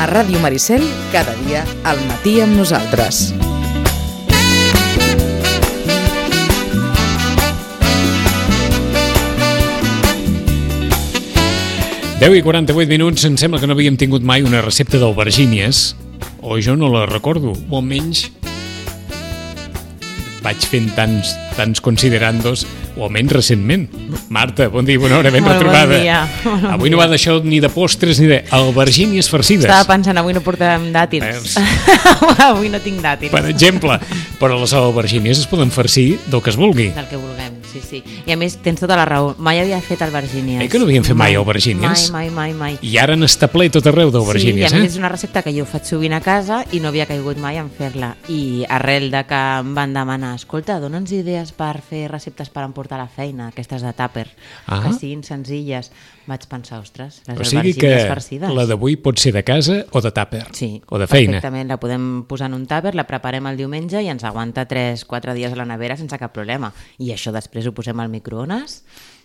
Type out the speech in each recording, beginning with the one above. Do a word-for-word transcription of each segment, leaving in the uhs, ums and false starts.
A Ràdio Maricel, cada dia al matí amb nosaltres. deu i quaranta-vuit minuts, em sembla que no havíem tingut mai una recepta d'albergínies, o jo no la recordo, o almenys vaig fent tants, tants considerandos, o almenys recentment. Marta, bon dia, bona hora, ben Molt retrobada. Bon dia. Bon avui dia. No va d'això ni de postres ni d'albergínies farcides. Estava pensant, avui no portàvem dàtils. Avui no tinc dàtils. Per exemple, però les albergínies es poden farcir del que es vulgui. Del que vulguem, sí, sí. I a més, tens tota la raó. Mai havia fet albergínies. Eh que no havíem fet mai albergínies? Mai, mai, mai, mai. I ara n'està ple tot arreu d'albergínies, sí, i a més eh? és una recepta que jo faig sovint a casa i no havia caigut mai en fer-la. I arrel de que em van demanar, escolta, dona'ns idees per fer receptes per emportar a la feina, aquestes de tàper, Ah. que siguin senzilles. Vaig pensar, ostres, les O sigui que albergínies farcides. la d'avui pot ser de casa o de tàper, Sí, o de feina. perfectament, la podem posar en un tàper, la preparem el diumenge i ens aguanta tres quatre dies a la nevera sense cap problema. I això després ho posem al microones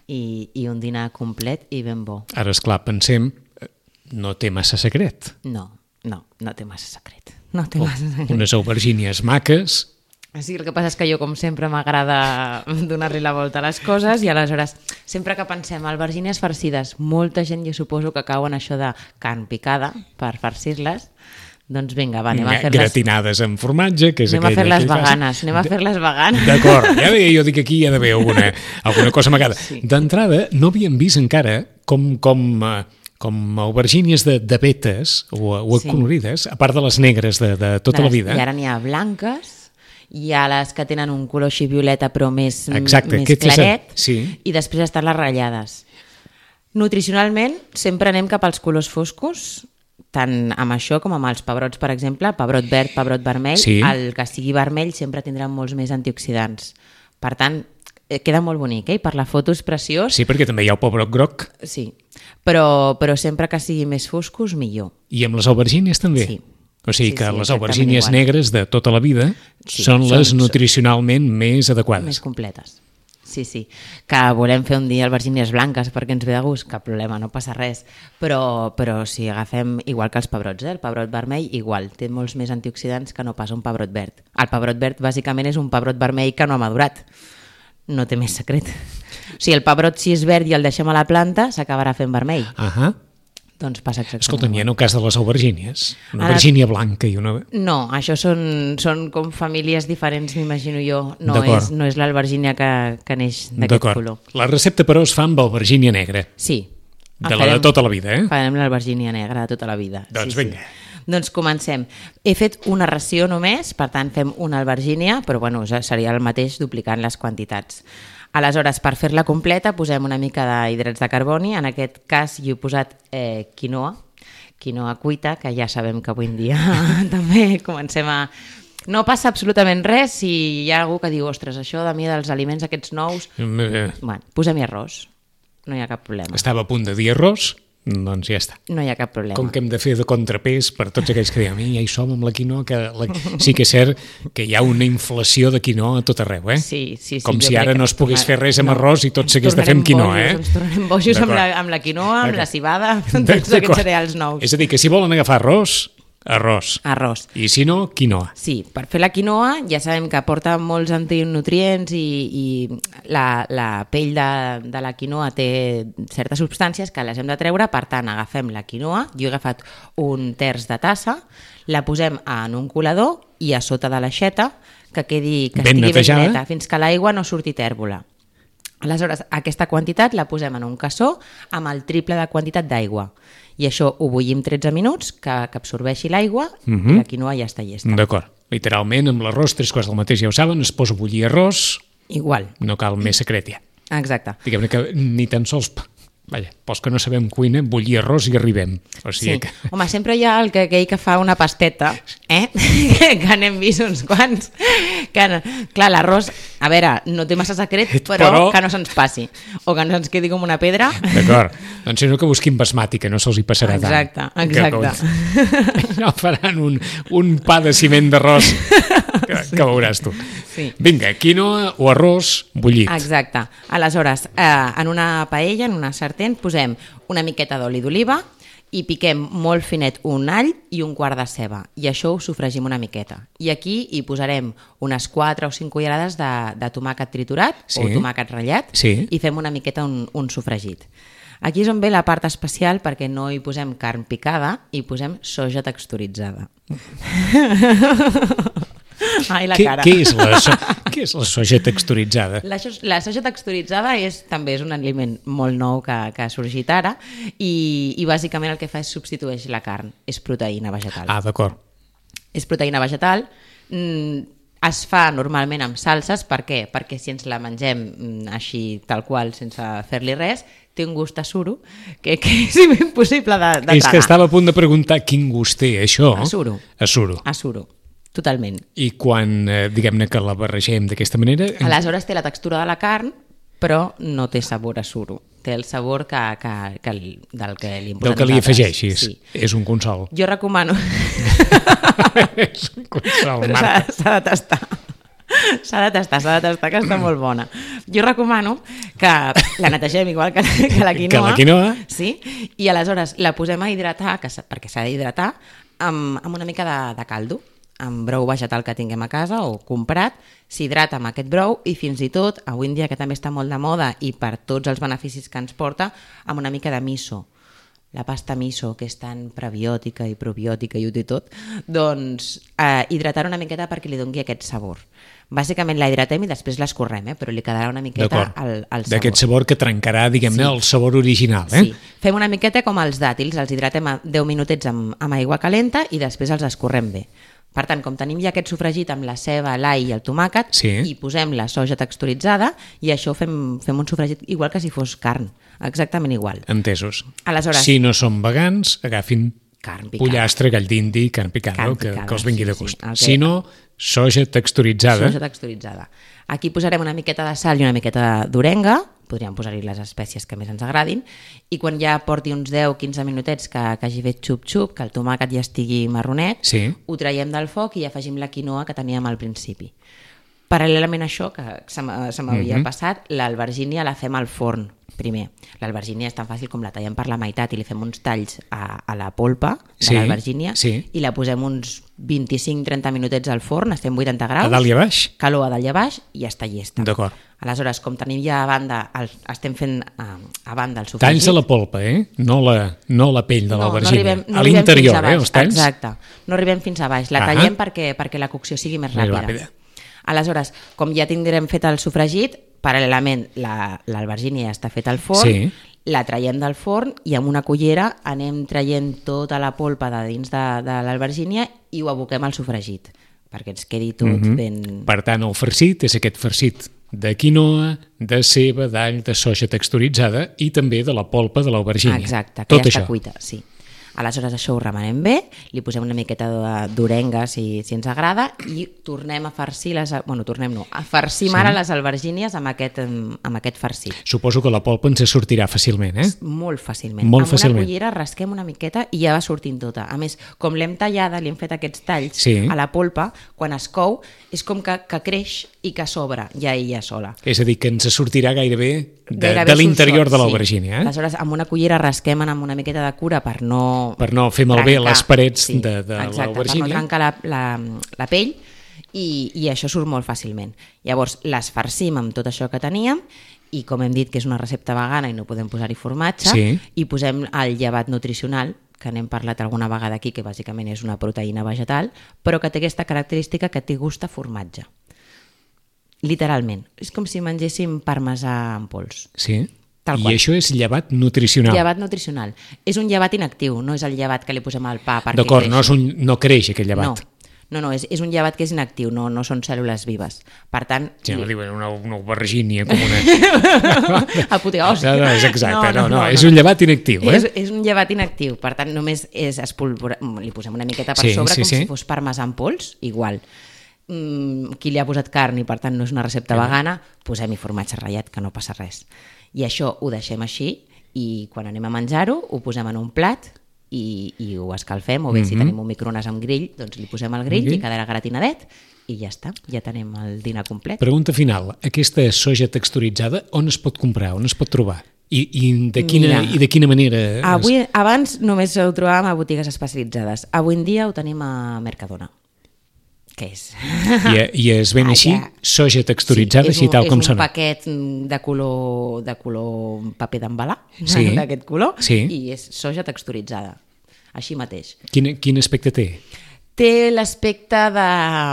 i, i un dinar complet i ben bo. Ara, esclar, pensem, eh, no té massa secret. No, no, no té massa secret. No té O massa secret. unes aubergínies maques. Sí, el que passa és que jo, com sempre, m'agrada donar-li la volta a les coses i aleshores, sempre que pensem albergínies farcides, molta gent jo suposo que cau en això de carn picada per farcir-les, doncs vinga, va, anem a fer-les... Gratinades amb formatge, que és Anem a aquella... fer-les aquell veganes, fàcil. anem a fer-les veganes. D'acord, ja deia, jo dic aquí hi ha d'haver alguna, alguna cosa amagada. Sí. D'entrada, no havíem vist encara com... com eh, com aubergínies de, de vetes o, o Sí. colorides, a part de les negres de, de tota De la les- vida. I ara n'hi ha blanques, hi ha les que tenen un color així violeta però més, Exacte, més aquest és el- claret, sí. i després estan les ratllades. Nutricionalment sempre anem cap als colors foscos, tant amb això com amb els pebrots, per exemple, pebrot verd, pebrot vermell, Sí. el que sigui vermell sempre tindrà molts més antioxidants. Per tant, eh, queda molt bonic, eh? I per la foto és preciós, Sí, perquè també hi ha el pebrot groc, sí. Però, però sempre que sigui més foscos, millor. i amb les aubergínies també. Sí. O sigui Sí, que sí, les exactament aubergínies igual. negres de tota la vida Sí, són són- les són- nutricionalment més adequades. Més completes. Sí, sí. Que volem fer un dia albergínies blanques perquè ens ve de gust, cap problema, no passa res. Però, però si agafem, igual que els pebrots, eh? El pebrot vermell igual, té molts més antioxidants que no pas un pebrot verd. El pebrot verd bàsicament és un pebrot vermell que no ha madurat. No té més secret. O sigui, el pebrot si és verd i el deixem a la planta s'acabarà fent vermell. Ahà. Doncs passa exactament Escolta'm, hi ha igual. en el cas de les aubergínies, una Ara- aubergínia blanca i una... No, això són, són com famílies diferents, m'imagino jo. No D'acord. és, no és l'albergínia que, que neix d'aquest D'acord. color. La recepta, però, es fa amb aubergínia negra, Sí. de la de tota la vida, eh? Farem l'albergínia negra de tota la vida. Doncs sí, vinga. Sí. Doncs comencem. He fet una ració només, per tant fem una albergínia, però bueno, ja seria el mateix duplicant les quantitats. Aleshores, per fer-la completa, posem una mica d'hidrats de carboni. En aquest cas hi he posat eh, quinoa, quinoa cuita, que ja sabem que avui en dia també comencem a... No passa absolutament res si hi ha algú que diu, ostres, això de mi dels aliments aquests nous... Eh, Bueno, posem-hi arròs, no hi ha cap problema. Estava a punt de dir arròs, doncs ja està. No hi ha cap problema. Com que hem de fer de contrapès per tots aquells que diuen, ja hi som amb la quinoa, que la... sí que és cert que hi ha una inflació de quinoa a tot arreu, eh? Sí, sí, sí, Com jo si crec ara que no es pogués ens fer res amb tornarem- arròs i tot ens s'hagués de fer amb tornarem quinoa, eh? bojos, Ens tornarem bojos amb D'acord. la, amb la quinoa, amb D'acord. la cibada, amb tots aquests D'acord. cereals nous. És a dir, que si volen agafar arròs, arròs. Arròs. I si no, quinoa. Sí, per fer la quinoa ja sabem que aporta molts antinutrients i, i la, la pell de, de la quinoa té certes substàncies que les hem de treure, per tant agafem la quinoa, jo he agafat un terç de tassa, la posem en un colador i a sota de l'aixeta que quedi que Ben estigui netejada. ben neta, fins que l'aigua no surti tèrbola. Aleshores, aquesta quantitat la posem en un cassó amb el triple de quantitat d'aigua. I això ho bullim tretze minuts, que, que absorbeixi l'aigua, Mhm. i la quinoa ja està llesta. D'acord. Literalment, amb l'arròs, tres quarts del mateix, ja ho saben, es posa a bullir arròs, Igual, no cal més secret ja. exacte. Diguem-ne que ni tan sols... Vaja, pels que no sabem cuina, bullir arròs i arribem. O sigui Sí. que... Home, sempre hi ha el que, aquell que fa una pasteta, eh? que n'hem vist uns quants. Que, clar, l'arròs, a veure, no té massa secret, però, Però- que no se'ns passi. O que no se'ns quedi com una pedra. D'acord. Doncs si no, que busquin basmati, que no se'ls hi passarà Exacte, tant. exacte. Que, no faran un, un pa de ciment d'arròs que, que veuràs tu. Sí. Vinga, quinoa o arròs bullit. Exacte. Aleshores, eh, en una paella, en una sartén, posem una miqueta d'oli d'oliva i piquem molt finet un all i un quart de ceba, i això ho sofregim una miqueta. I aquí hi posarem unes quatre o cinc cullerades de, de tomàquet triturat sí. o tomàquet ratllat sí. i fem una miqueta un, un sofregit. Aquí és on ve la part especial perquè no hi posem carn picada, hi posem soja texturitzada. Ai, la què, cara. Què és, la so què és la soja texturitzada? La, la soja texturitzada és, també és un aliment molt nou que, que ha sorgit ara i, i bàsicament el que fa és substitueix la carn, és proteïna vegetal. Ah, d'acord. És proteïna vegetal, mm, es fa normalment amb salses, per què? Perquè si ens la mengem mm, així tal qual, sense fer-li res, té un gust a suro que, que és impossible de, de tragar. És que estava a punt de preguntar quin gust té això. A suro. A suro. A suro, totalment. I quan, eh, diguem-ne que la barregem d'aquesta manera... Aleshores té la textura de la carn, però no té sabor a suro. Té el sabor que, que, que, del que li hem posat Del que li nosaltres. afegeixis. Sí. És un consol. Jo recomano... És un consol, Però s'ha Marta. s'ha de tastar. S'ha de tastar, s'ha de tastar, que està molt bona. Jo recomano que la netegem igual que, que la quinoa. Que la quinoa. Sí, i aleshores la posem a hidratar, que, perquè s'ha d'hidratar, amb, amb una mica de, de caldo, amb brou vegetal que tinguem a casa o comprat, s'hidrata amb aquest brou i fins i tot, avui en dia que també està molt de moda i per tots els beneficis que ens porta, amb una mica de miso. La pasta miso, que és tan prebiòtica i probiòtica i ho té tot, doncs eh, hidratar una miqueta perquè li doni aquest sabor. Bàsicament la hidratem i després l'escorrem, eh? Però li quedarà una miqueta el, el sabor. D'aquest sabor que trencarà, diguem-ne, sí. el sabor original. Eh? Sí, fem una miqueta com els dàtils, els hidratem a deu minutets amb, amb aigua calenta i després els escorrem bé. Per tant, com tenim ja aquest sofregit amb la ceba, l'all i el tomàquet, sí. hi posem la soja texturitzada i això fem, fem un sofregit igual que si fos carn, exactament igual. Entesos. Aleshores, si no són vegans, agafin carn picada. pollastre, gall d'indi, carn picada, Carn que, picada, que els vingui sí, de gust. sí, el que- Si no, soja texturitzada. Soja texturitzada. Aquí posarem una miqueta de sal i una miqueta d'orenga, podríem posar-hi les espècies que més ens agradin, i quan ja porti uns deu a quinze minutets que, que hagi fet xup-xup, que el tomàquet ja estigui marronet, Sí. ho traiem del foc i afegim la quinoa que teníem al principi. Paral·lelament a això, que se m'ha- se m'havia Mhm. passat, l'albergínia la fem al forn primer. L'albergínia és tan fàcil com la tallem per la meitat i li fem uns talls a, a la polpa de Sí, l'albergínia sí. i la posem uns vint-i-cinc a trenta minutets al forn, estem vuitanta graus. A dalt i a baix? Calor a dalt i a baix i ja està llesta. D'acord. Aleshores, com tenim ja a banda, el, estem fent a, a banda el sofregit... Talls de la polpa, eh? No la, no la pell de no, no l'albergínia. arribem, no a arribem fins l'interior, a baix. eh? Els talls? Exacte. No arribem fins a baix. La Ahà. tallem perquè, perquè la cocció sigui més Més ràpida. ràpida. Aleshores, com ja tindrem fet el sofregit, paral·lelament la- l'albergínia ja està feta al forn, Sí. la traiem del forn i amb una cullera anem traient tota la polpa de dins de, de l'albergínia i ho aboquem al sofregit, perquè ens quedi tot Mhm. ben... Per tant, el farcit és aquest farcit de quinoa, de ceba, d'all, de soja texturitzada i també de la polpa de l'aubergínia. Exacte, que Tot ja això. està cuita, sí. Aleshores això ho remenem bé, li posem una miqueta de- d'orenga si, si ens agrada i tornem a farcir les... Bueno, tornem no, a farcim Sí. ara les albergínies amb aquest, amb aquest farcit. Suposo que la polpa ens sortirà fàcilment, eh? Molt fàcilment. Molt amb fàcilment. una cullera rasquem una miqueta i ja va sortint tota. A més, com l'hem tallada, li hem fet aquests talls Sí. a la polpa, quan es cou és com que, que creix i que s'obre ja ella sola. És a dir, que ens sortirà gairebé de, Gairebé de l'interior solsot, de l'aubergínia, eh? Aleshores, amb una cullera rasquem amb una miqueta de cura per no... Per no fer malbé trencar. les parets Sí, de, de exacte, per no l'aubergínia. trencar la, la, la pell i, i això surt molt fàcilment. Llavors, les farcim amb tot això que teníem i com hem dit que és una recepta vegana i no podem posar-hi formatge, Sí. i posem el llevat nutricional, que n'hem parlat alguna vegada aquí, que bàsicament és una proteïna vegetal, però que té aquesta característica que té gust a formatge. Literalment. És com si mengéssim parmesà en pols. Sí. Tal I qual. això és llevat nutricional. Llevat nutricional. És un llevat inactiu, no és el llevat que li posem al pa perquè D'acord, creixi. no, és un, no creix aquest llevat. No, no, no és, és un llevat que és inactiu, no, no són cèl·lules vives. Per tant... Sí, no li- diuen una, una aubergínia com una... apoteosi. No, no, és exacte, no, no, és un llevat inactiu, eh? És, és un llevat inactiu, per tant només és espolvora... li posem una miqueta per Sí, sobre sí, com sí. si fos parmesà en pols, igual. Mm, qui li ha posat carn i per tant no és una recepta vegana, posem-hi formatge ratllat, que no passa res. I això ho deixem així i quan anem a menjar-ho ho posem en un plat i, i ho escalfem, o bé si Mhm. tenim un microones amb grill, doncs li posem al grill grill. i quedarà gratinadet i ja està, ja tenim el dinar complet. Pregunta final. Aquesta soja texturitzada on es pot comprar, on es pot trobar? I, i, de quina, Mira, i de quina manera? Avui, abans només ho trobàvem a botigues especialitzades. Avui en dia ho tenim a Mercadona. Què és? I, i es ven Ah, així, ja. soja texturitzada, Sí, és així un, tal com és un sona. paquet de color, de color paper d'embalar, Sí. d'aquest color, Sí. i és soja texturitzada, així mateix. Quin, quin aspecte té? Té l'aspecte de...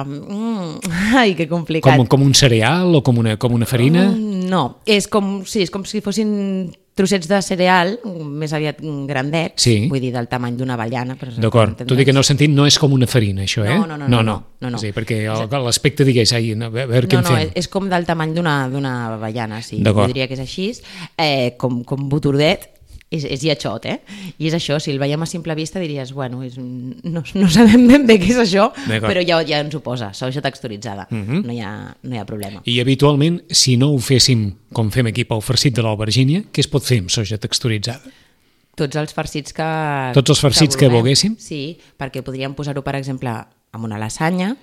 Mm, ai, que complicat. Com, com un cereal o com una, com una farina? Mm, no, és com, sí, és com si fossin trossets de cereal, més aviat grandets, Sí. vull dir, del tamany d'una avellana. per D'acord, entendre's. tot i que en el sentit no és com una farina, això, eh? No, no, no, no, no, no, no. Sí, perquè el- l'aspecte digués, ai, a veure què No, en no, fem. és, és com del tamany d'una d'una avellana, sí. D'acord. Jo diria que és així, eh, com, com botordet, és, és lletjot, eh? I és això, si el veiem a simple vista diries, bueno, és un... no, no sabem ben bé què és això, D'acord. però ja, ja ens ho posa, soja texturitzada, Mhm. no, hi ha, no hi ha problema. I habitualment, si no ho féssim com fem aquí pel farcit de l'albergínia, què es pot fer amb soja texturitzada? Tots els farcits que... Tots els farcits que vulguem. volguéssim? Sí, perquè podríem posar-ho, per exemple, amb una lasanya,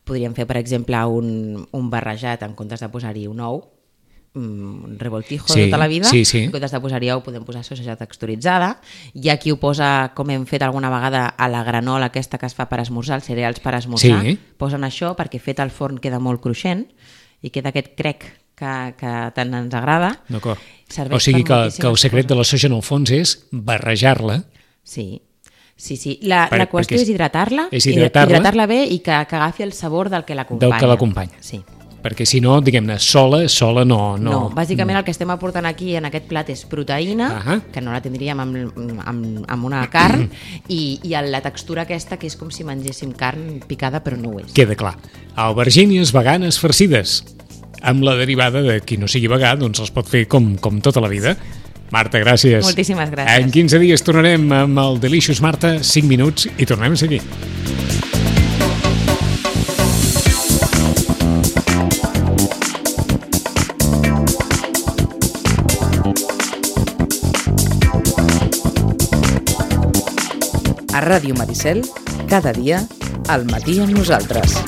podríem fer, per exemple, un, un barrejat en comptes de posar-hi un ou, un revoltijo Sí, de tota la vida, sí, sí. en comptes de posar-hi ou podem posar soja texturitzada. Hi ha qui ho posa, com hem fet alguna vegada, a la granola aquesta que es fa per esmorzar, els cereals per esmorzar, Sí. posen això perquè fet al forn queda molt cruixent i queda aquest crec que, que tant ens agrada. D'acord. Serveix O sigui per que, moltíssimes que el secret coses. de la soja en el fons és barrejar-la. Sí, sí, sí. La, Per- la qüestió perquè és hidratar-la, és hidratar-la. hidratar-la bé i que, que agafi el sabor del que l'acompanya. Del que l'acompanya. Sí. Perquè si no, diguem-ne, sola, sola no... No, no. bàsicament el que estem aportant aquí en aquest plat és proteïna, Ahà. que no la tindríem amb, amb, amb una carn, i, i la textura aquesta que és com si mengéssim carn picada però no ho és. Queda clar. Albergínies veganes farcides. Amb la derivada de qui no sigui vegà, doncs els pot fer com, com tota la vida. Marta, gràcies. Moltíssimes gràcies. En quinze dies tornarem amb el Delicious Marta, cinc minuts, i tornem a seguir. A Ràdio Maricel, cada dia, al matí amb nosaltres.